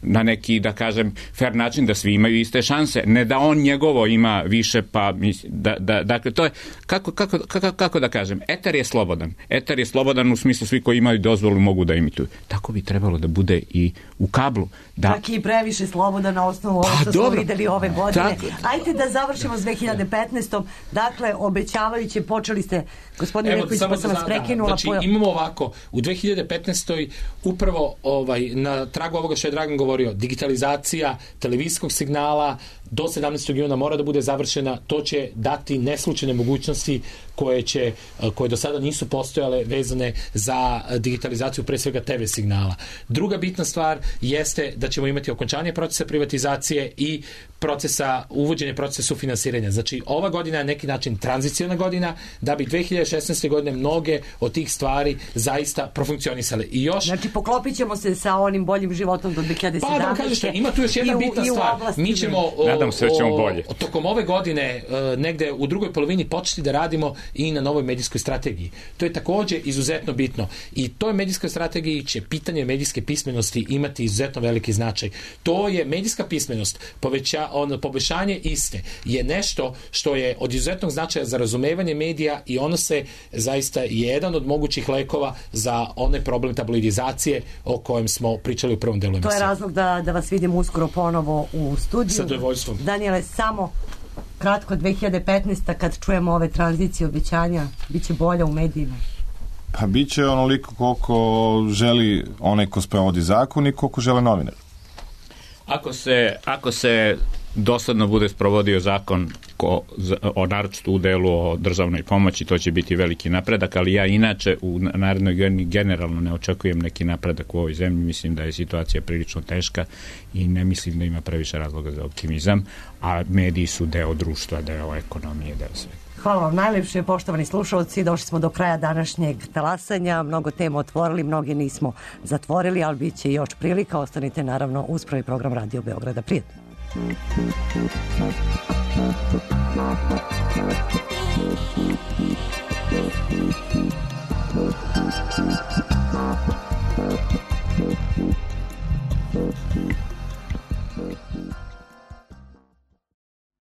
na neki, da kažem, fair način, da svi imaju iste šanse, ne da on njegovo ima više, pa dakle to je, kako da kažem, eter je slobodan u smislu svi koji imaju dozvolu mogu da imituju. Tako bi trebalo da bude i u kablu. Čak i previše slobodan na osnovu ovo što smo videli ove godine. Ajde da završimo s 2015. Dakle, obećavajući, počeli ste, gospodin Mirković, pa sam vas prekinula. Znači, imamo ovako, u 2015. upravo na tragu ovoga što je Dragan govorio, digitalizacija televizijskog signala do 17. juna mora da bude završena. To će dati neslučajne mogućnosti koje do sada nisu postojale vezane za digitalizaciju pre svega TV signala. Druga bitna stvar jeste da ćemo imati okončanje procesa privatizacije i uvođenje procesa sufinansiranja. Znači, ova godina je neki način tranziciona godina da bi 2016. godine mnoge od tih stvari zaista profunkcionisale. I još... Znači, poklopit ćemo se sa onim boljim životom do 2017. Pa da vam kažem što, ima tu još jedna bitna stvar. Mi ćemo tokom ove godine negde u drugoj polovini početi da radimo i na novoj medijskoj strategiji. To je također izuzetno bitno. I toj medijskoj strategiji će pitanje medijske pismenosti imati izuzetno veliki značaj. To je medijska pismenost, poboljšanje iste je nešto što je od izuzetnog značaja za razumevanje medija i ono se zaista je jedan od mogućih lekova za onaj problem tabloidizacije o kojem smo pričali u prvom delu emisije. To je razlog da vas vidim uskoro ponovo u studiju. Sa zadovoljstvom. Daniele, samo kratko, 2015. kad čujemo ove tranzicije, obećanja, bit će bolja u medijima? Pa bit će onoliko koliko želi onaj ko sprovodi zakon i koliko žele novinar. Ako se dosledno bude sprovodio zakon o naročito u delu o državnoj pomoći, to će biti veliki napredak, ali ja inače u narednoj godini generalno ne očekujem neki napredak u ovoj zemlji. Mislim da je situacija prilično teška i ne mislim da ima previše razloga za optimizam, a mediji su deo društva, deo ekonomije, deo svega. Hvala vam najlepše, poštovani slušalci. Došli smo do kraja današnjeg talasanja. Mnogo tema otvorili, mnoge nismo zatvorili, ali bit će još prilika. Ostanite naravno uz prvi program Radio Beograda. Prijetno. Thank you.